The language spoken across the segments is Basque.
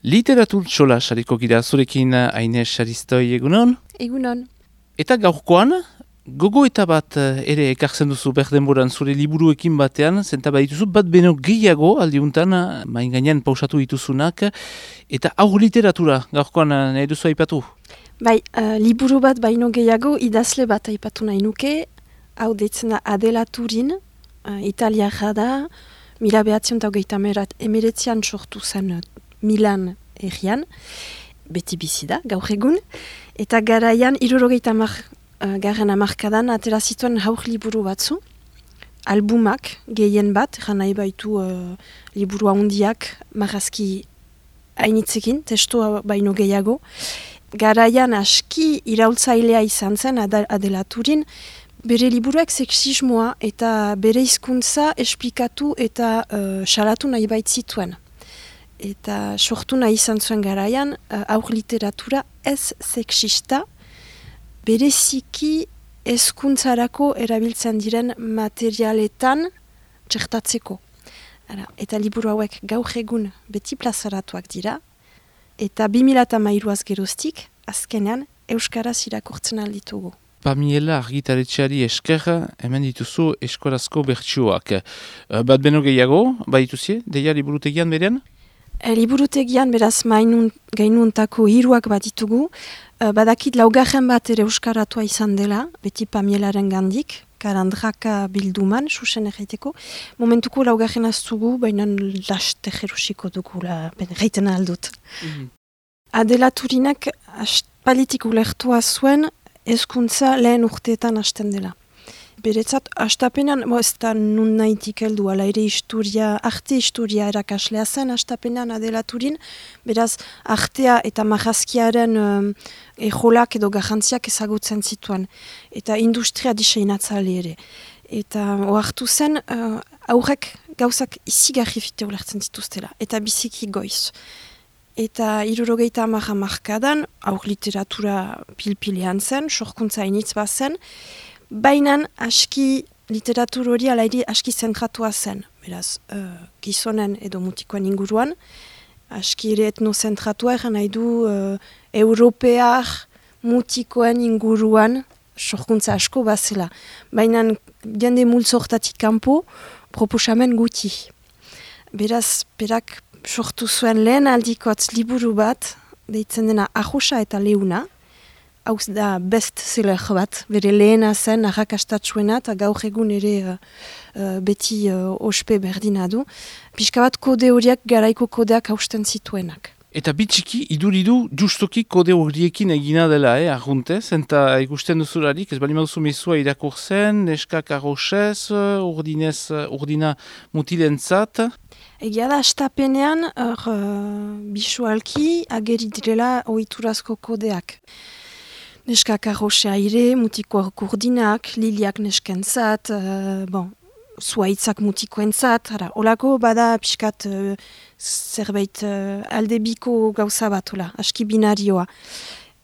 Literatur txola sariko gira zurekin Aine Saristoi egunon. Egunon. Eta gaurkoan, gogoeta bat ere ekartzen duzu berdenboran zure liburuekin batean, zenta badituzu bat beno gehiago aldiuntan, main gainean pausatu dituzunak, eta aur literatura gaurkoan nahi duzu aipatu? Bai, liburu bat baino gehiago idazle bat aipatu nahi nuke, hau deitzen da Adela Turin, italiarra da, 1989an sortu zen Milan herrian, beti bizi da, gaur egun, eta garaian 70 garren hamarkadan atera zituen haur liburu batzu, albumak gehien bat, jan nahi baitu liburu handiak marrazki hainitzekin, testoa baino gehiago. Garaian aski iraultzailea izan zen Adela Turin, bere liburuak sexismoa eta bere hizkuntza esplikatu eta salatu nahi baitzituen. Eta sortu nahi izan zuen garaian, aur literatura ez sexista, bereziki hezkuntzarako erabiltzen diren materialetan txertatzeko. Eta liburu hauek gaur egun beti plazaratuak dira, eta 2013az geroztik, azkenean, euskaraz irakurtzen alditugu. Pamiela argitaretxeari esker, hemen dituzu eskorazko bertsioak. Bat beno gehiago, badituzie, deia liburutegian berean? Liburutegian beraz gainuntako hiruak bat ditugu, badakit laugarren bat ere euskaratua izan dela, beti Pamielaren gandik, Karandraka bilduman, susen erraiteko. Momentuko laugarren aztugu, baina laste jerusiko dugula, reiten aldut. Adela Turinak aspalditik ulertua zuen, hezkuntza lehen urteetan hasten dela. Beretzat, hastapenean, ez da nun nahitik heldu, ala ere arte historia erakaslea zen hastapenean Adela Turin, beraz, artea eta marrazkiaren ejolak edo garrantziak ezagutzen zituen, eta industria diseinatzale ere. Eta ohartu zen, aurrek gauzak izigarri fite ulertzen zituztela, eta biziki goiz. Eta 70 hamarkadan, aur literatura pilpilean zen, sorkuntza initz bat zen, baina aski literatur hori alairi aski zentratua zen. Beraz, gizonen edo mutikoen inguruan, aski ere etnozentratua eran nahi du europear mutikoen inguruan sorkuntza asko bazela. Baina jende multzortatik kanpo proposamen guti. Beraz, berak sortu zuen lehen aldikotz liburu bat, deitzen dena Arrosa eta Leuna, hau da bestseller bat, bere lehena zen, arrakastatsuena, eta gaur egun ere beti ospe berdina du. Pixka bat kode horiak garaiko kodeak hausten zituenak. Eta bitxiki, iduridu justoki kode horiekin egina dela, arruntez, eta ikusten duzularik, ez bali maduzu mezua irakurtzen, neskak arrosez, urdina mutilentzat. Egia da, astapenean, bisualki ageri direla ohiturazko kodeak. Neskak arrosea ire, mutikoak urdinak, liliak neskentzat, zuaitzak mutikoentzat, olako bada pixkat zerbait aldebiko gauza bat, aski binarioa.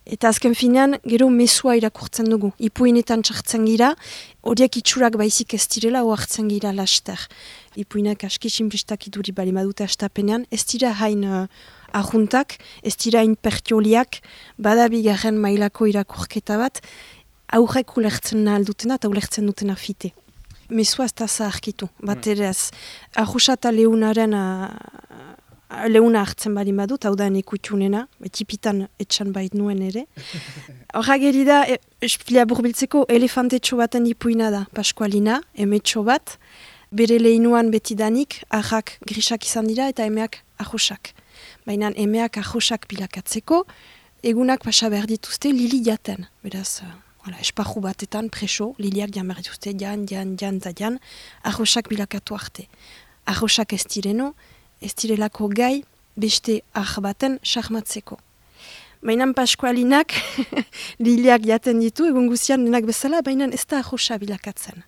Eta azken finean, gero mesua irakurtzen dugu. Ipuinetan txartzen gira, horiek itxurak baizik ez direla oartzen gira laster. Ipuinak aski sinplistak iduri bali madute astapenean, ez dira hain arruntak, ez dira hain pertioliak, bada bigarren mailako irakurketa bat, aurrek ulertzen aldutena eta ulertzen dutena fite. Mesua ez da zaharkitu, bat ere ez. Arrosa eta Leuna hartzen bali madut, hau da nekutxunena, etipitan etxan bait nuen ere. Horra geri da, espila burbiltzeko elefantetxo baten ipuina da, Paskualina, emetxo bat, bere lehinuan betidanik, arrak grisak izan dira eta emeak arrosak. Baina emeak arrosak bilakatzeko, egunak pasa behar dituzte lili jaten. Beraz, esparru batetan preso, liliak jan behar dituzte, jan, arrosak bilakatu arte. Arrosak ez direno, ez direlako gai beste baten sarmatzeko. Baina Paskualinak liliak jaten ditu, egun guzian denak bezala, baina ez da arrosa bilakatzen.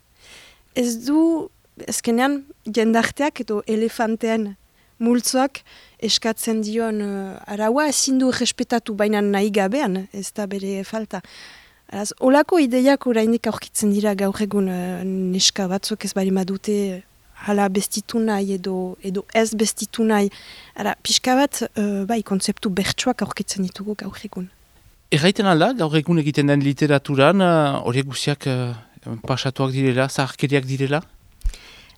Ez du, ezkenean, jendarteak edo elefantean multzoak eskatzen dion araua, ezin du respetatu baina nahi gabean, ez da bere falta. Olako ideiak orainik aurkitzen dira gaur egun neska batzuk ez bari madute hala bestitu nahi edo ez bestitu nahi. Ara, pixka bat, bai, kontzeptu bertsuak aurkitzen ditugu gaur egun. Erraiten alda, gaur egun egiten den literaturan, horiek guziak pasatuak direla, zaharkeriak direla?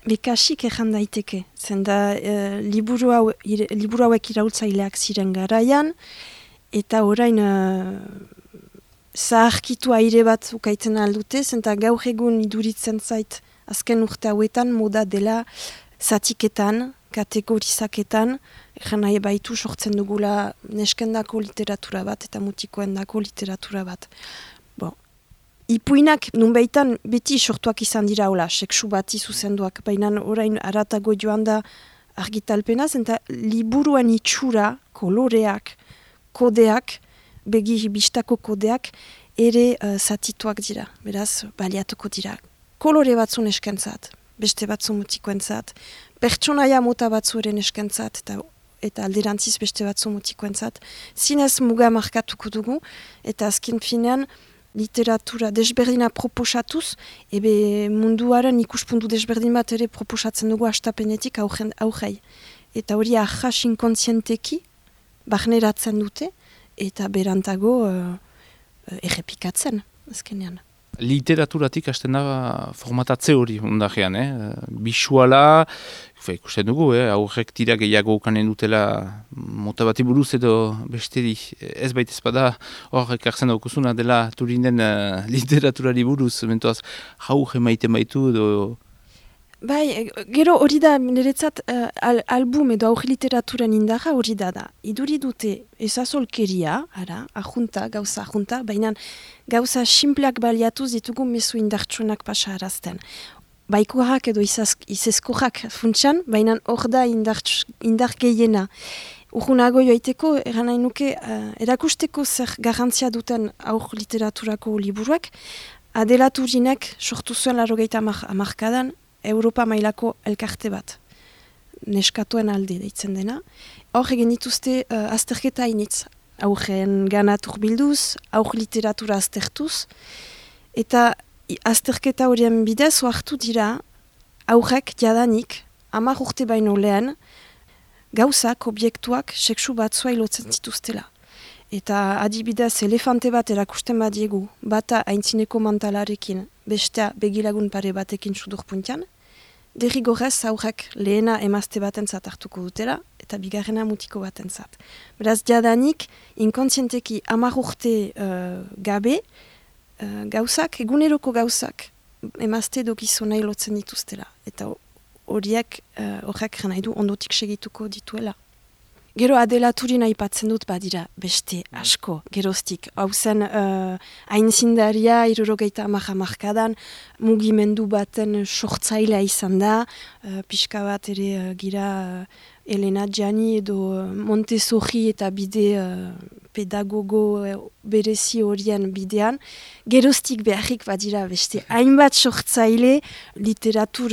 Bekasik erran daiteke, zenda liburu hauek iraultzaileak ziren garaian, eta orain zaharkitu aire bat ukaiten aldute, zenta gaur egun iduritzen zait azken urte hauetan moda dela zatiketan, kategorizaketan, erran nahi baitu sortzen dugula neskendako literatura bat eta mutikoendako literatura bat. Ipuinak nunbaitan beti sortuak izan dira hola, seksu bati zuzenduak, baina orain aratago joan da argitalpenaz, eta liburuen itxura, koloreak, kodeak, begi bistako kodeak, ere zatituak dira, beraz, baliatuko dira. Kolore batzu neskentzat, beste batzu mutikoentzat, pertsonaia mota batzu ere neskentzat, eta alderantziz beste batzu mutikoentzat, zinez muga markatuko dugu, eta azken finean, literatura desberdina proposatuz, ebe munduaren ikuspuntu desberdin bat ere proposatzen dugu astapenetik aurrei. Eta hori ahas inkontzienteki barneratzen dute, eta berantago errepikatzen, azkenean. Literaturatik hasten da formatatze hori ondajean, bisuala, ikusten dugu, aurrek tira gehiago ukanen dutela mota bati buruz edo besteri ez baita ezpada horrek hartzen daukuzuna dela Turinen literaturari buruz, mentoaz jaur emaiten baitu edo... Bai, gero hori da niretzat album edo aurri literaturan indarra hori da. Iduri dute ezazolkeria, gauza ajunta, baina gauza simpleak baliatuz ditugu mezu indartsuenak pasa arazten. Baikoak edo izezkoak funtsan, baina hor da indar gehiena. Urgunago joaiteko, eran nahi nuke, erakusteko zer garantzia duten aur literaturako liburuak, Adela Turinek sortu zuen 80 hamarkadan, Europa mailako elkarte bat, neskatuen alde deitzen dena. Hor egin dituzte azterketa initz, aurren ganat urbilduz, aur literatura aztertuz, eta azterketa horien bidez oartu dira aurrek jadanik 10 urte baino lehen gauzak, objektuak, seksu batzua ilotzen zituztela. Eta adibidez elefante bat erakusten badiegu, bata aintzineko mantalarekin, bestea begilagun pare batekin sudurpuntian, derrigorrez aurrek lehena emazte batentzat hartuko dutela, eta bigarrena mutiko batentzat. Beraz, jadanik, inkontzienteki 10 urte gabe, gauzak, eguneroko gauzak, emazte edo gizona ilotzen dituztela. Eta horrek nahi du ondotik segituko dituela. Gero Adela Turin aipatzen dut badira beste asko, geroztik. Hau zen aintzindaria 70 hamarkadan mugimendu baten sortzailea izan da, pixka bat ere gira Elena Gianni edo Montessori eta bide pedagogo berezi horien bidean. Geroztik beharrik badira beste hainbat sortzaile literatur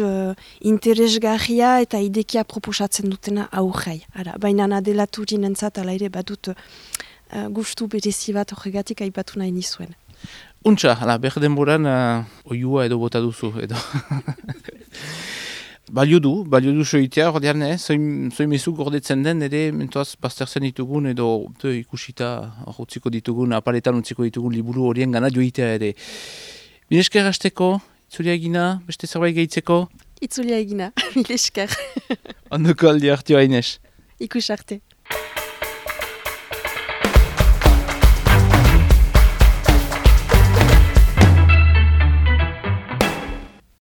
interesgarria eta idekia proposatzen dutena aurrei. Baina Adela Turin entzat ala ere badut gustu berezi bat horregatik aipatu nahi nizuen. Untxa, behar denboran oiua edo bota duzu edo... Balio du soitea, ordean, zoi mezu gordetzen den, ere mentoaz baztertzen ditugun edo ikusita utziko ditugun, aparetan utziko ditugun liburu horien gana joitea ere. Milesker hasteko, itzulia egina, beste zerbait gehitzeko? Itzulia egina, milesker. Ondoko aldi hartio hainez. Ikus arte.